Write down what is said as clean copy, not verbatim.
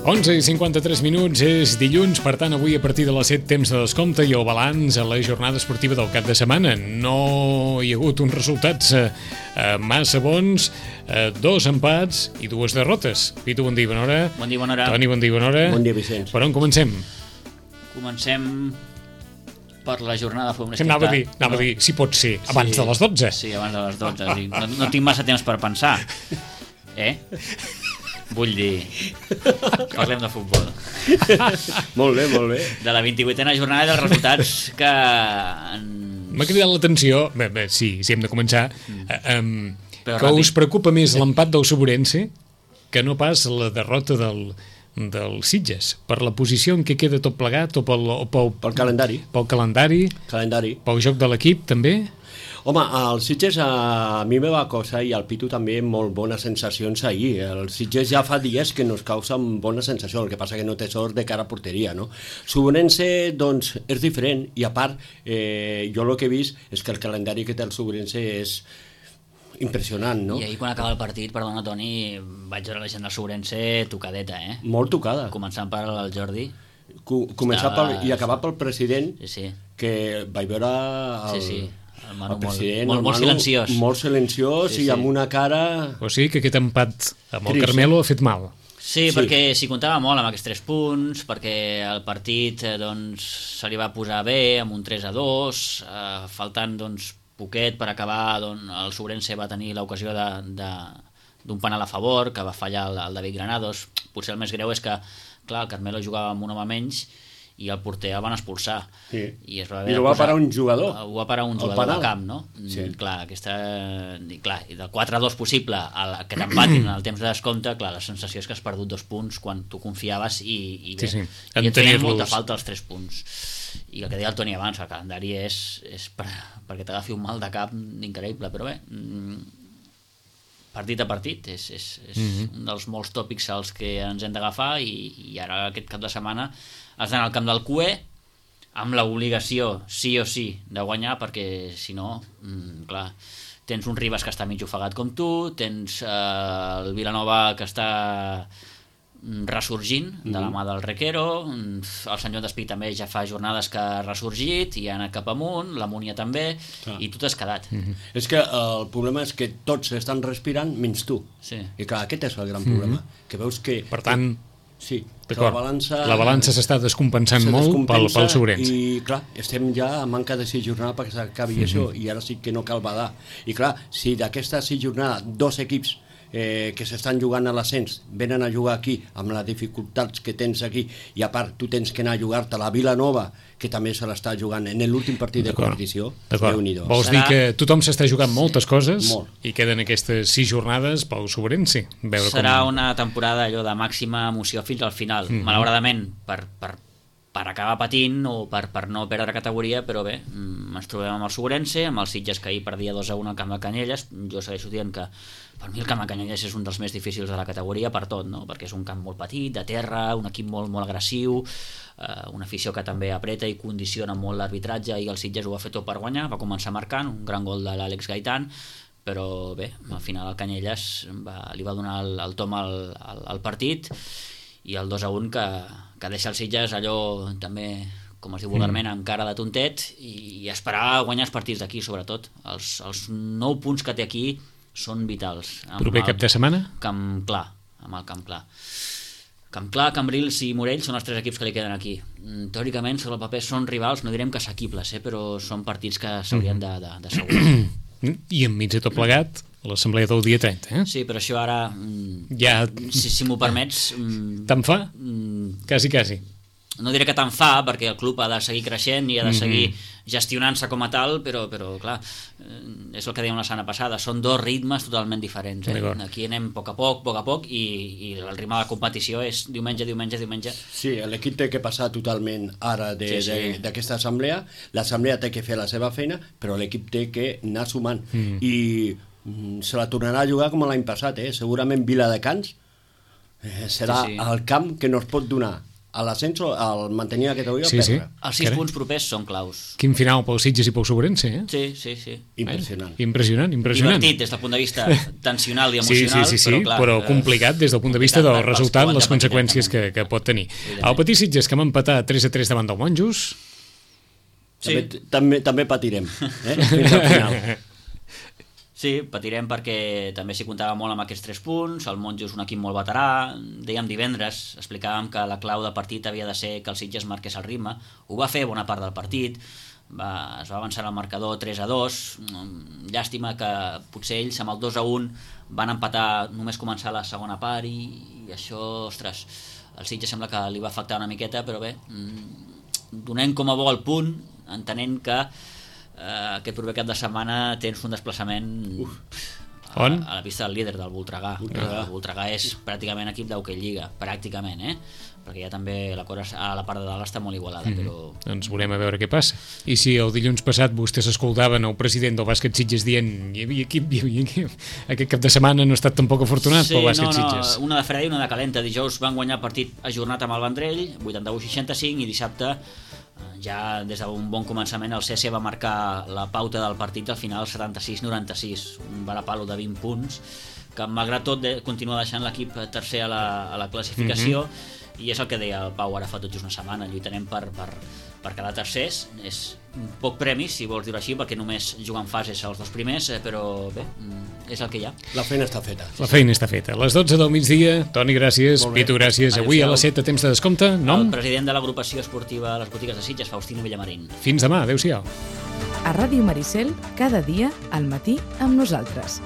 11:53, és dilluns, per tant avui a partir de les 7 temps de descompte i el balanç a la jornada esportiva del cap de setmana. No hi ha hagut uns resultats massa bons, 2 empats i 2 derrotes. Pitu, bon dia, bona hora. Bon dia, bona hora. Toni, bon dia, bona hora. Bon dia, Vicenç. Per on comencem? Comencem per la jornada. Anava a dir, si pot ser, abans de les 12. Sí, abans de les 12. No tinc massa temps per pensar. Vull dir, parlem de futbol. Molt bé, molt bé. De la 28a jornada i dels resultats que... M'ha cridat l'atenció, sí, hem de començar, Però que ràpid. us preocupa més l'empat del Sobrense que no pas la derrota del Sitges, per la posició en què queda tot plegat o Pel calendari. pel calendari, pel joc de l'equip també. Home, el Sitges a mi me va causar, i al Pitu també, molt bones sensacions ahir. El Sitges ja fa dies que nos causa bones sensacions, el que passa que no té sort de cara a porteria, no? Sobrense, doncs, és diferent, i a part, jo el que he vist és que el calendari que té el Sobrense és impressionant, no? I ahir quan acaba el partit, perdona Toni, vaig veure la gent del Sobrense tocadeta, Molt tocada. Començant per el Jordi. Començar i acabar pel president, Sí. que vaig veure Sí. El Manu el president, molt Manu, silenciós. molt silenciós, Sí. i amb una cara... O sigui que aquest empat amb el Trist, Carmelo ha fet mal. Sí, Sí. perquè s'hi comptava molt amb aquests 3 punts, perquè el partit doncs, se li va posar bé amb un 3-2, faltant doncs, poquet per acabar, doncs, el Sobrense va tenir l'ocasió d'un penal a favor, que va fallar el David Granados. Potser el més greu és que, clar, el Carmelo jugava amb un home menys i el porter el van expulsar. Sí. I ho va parar un jugador. Ho va parar un El jugador penal. de camp, no? Sí. Clar, i del 4-2 possible que t'empatin en el temps de descompte, clar, la sensació és que has perdut 2 punts quan tu confiaves i bé, Sí. i et feien tenir-los. molta falta els 3 punts. I el que deia el Toni abans, el calendari és perquè t'agafi un mal de cap increïble, però bé, partit a partit és un dels molts tòpics als que ens hem d'agafar, i ara aquest cap de setmana has d'anar al camp del CUE amb l'obligació, sí o sí, de guanyar, perquè si no, clar, tens un Ribas que està mig ofegat com tu, tens el Vilanova que està ressorgint de la mà del Requero, el Sant Joan d'Espí també ja fa jornades que ha ressorgit i ha anat cap amunt, la Múnia també, i tu t'has quedat. És que el problema és que tots estan respirant menys tu. Sí. I clar, aquest és el gran problema. Que veus que... Per tant, sí, que d'acord, la balança s'està descompensant molt pel Sobrense. I clar, estem ja a manca de 6 jornades perquè s'acabi això, i ara sí que no cal badar. I clar, si d'aquesta 6 jornades 2 equips que s'estan jugant a l'ascens venen a jugar aquí amb les dificultats que tens aquí, i a part tu tens que anar a jugar-te a la Vilanova, que també se l'està jugant en l'últim partit de competició, Déu-n'hi-do. Vols dir que tothom s'està jugant moltes coses Molt. i queden aquestes 6 jornades pel Sobrense. Serà una temporada allò de màxima emoció fins al final. Malauradament, per acabar patint o per no perdre categoria, però bé, ens trobem amb el Sobrense, amb el Sitges, que ahir perdia 2-1 al camp de Canyelles. Jo segueixo dient que per mi el camp de Canyelles és un dels més difícils de la categoria per tot, no? Perquè és un camp molt petit, de terra, un equip molt, molt agressiu, una afició que també apreta i condiciona molt l'arbitratge, i el Sitges ho va fer tot per guanyar, va començar marcant un gran gol de l'Àlex Gaitán, però bé, al final el Canyelles li va donar el tom al partit, i el 2-1 que deixa el Sitges allò també, com es diu vulgarment, amb cara de tontet, i esperar guanyar els partits d'aquí, sobretot. Els 9 punts que té aquí són vitals. Proper cap de setmana? Camp Clar, amb el Camp Clar. Camp Clar, Cambrils i Morell són els 3 equips que li queden aquí. Teòricament, sobre el paper són rivals, no direm que assequibles, però són partits que s'haurien d'assegurar. I enmig de tot plegat, l'assemblea del dia 30, Sí, però això ara, ja... si m'ho permets... Te'n fa? Quasi. No diré que tant fa, perquè el club ha de seguir creixent i ha de seguir gestionant-se com a tal, però clar, és el que dèiem la setmana passada, són 2 ritmes totalment diferents. Aquí anem a poc, i el ritme de la competició és diumenge. Sí, l'equip té que passar totalment ara d'aquesta assemblea, l'assemblea té que fer la seva feina, però l'equip té que anar sumant, i se la tornarà a jugar com l'any passat, segurament Viladecans serà el camp que no es pot donar a l'ascenso, al mantenir la categoria, Sí, sí. perdre. Els 6 Carai. punts propers són claus. Quin final pel Sitges i pel Sobrense, eh? Sí. Impressionant. Impressionant. Divertit des del punt de vista tensional i Sí, emocional, sí, clar, però complicat des del punt de vista del complicat pels resultat, que ho han les de patir conseqüències directament. que pot tenir. Evidentment. El Petit Sitges, que hem empatat 3-3 davant del Monjos. Sí. També patirem, fins al final. Sí, patirem perquè també s'hi comptava molt amb aquests 3 punts, el Monjo és un equip molt veterà, dèiem divendres, explicàvem que la clau de partit havia de ser que el Sitges marqués el ritme, ho va fer bona part del partit, es va avançar al marcador 3-2, llàstima que potser ells amb el 2-1 van empatar només començar la segona part i això, ostres, el Sitges sembla que li va afectar una miqueta, però bé, donem com a bo el punt, entenent que aquest proper cap de setmana tens un desplaçament a la pista del líder, del Voltregà. El Voltregà és pràcticament equip d'hoquei lliga, pràcticament, perquè ja també la cosa a la part de dalt està molt igualada, però... Doncs veurem a veure què passa. I si el dilluns passat vostès escoltaven el president del bàsquet Sitges dient hi havia equip, aquest cap de setmana no ha estat tampoc afortunat pel bàsquet Sitges. Una de freda i una de calenta. Dijous van guanyar el partit ajornat amb el Vendrell, 81-65, i dissabte ja des d'un bon començament el CC va marcar la pauta del partit al final 76-96, un varapalo de 20 punts que malgrat tot continua deixant l'equip tercer a la classificació, i és el que deia el Pau ara fa tot just una setmana, lluitarem per quedar tercers, és un poc premi si vols dir-ho així, perquè només juguen fases els 2 primers, però bé, és el que hi ha. La feina està feta. La feina està feta. A les 12 del migdia, Toni, gràcies, Pitu, gràcies. Avui a les 7 a temps de descompte, nom? El president de l'agrupació esportiva a les botigues de Sitges, Faustino Villamarín. Fins demà, adeu-siau. A Ràdio Maricel, cada dia, al matí, amb nosaltres.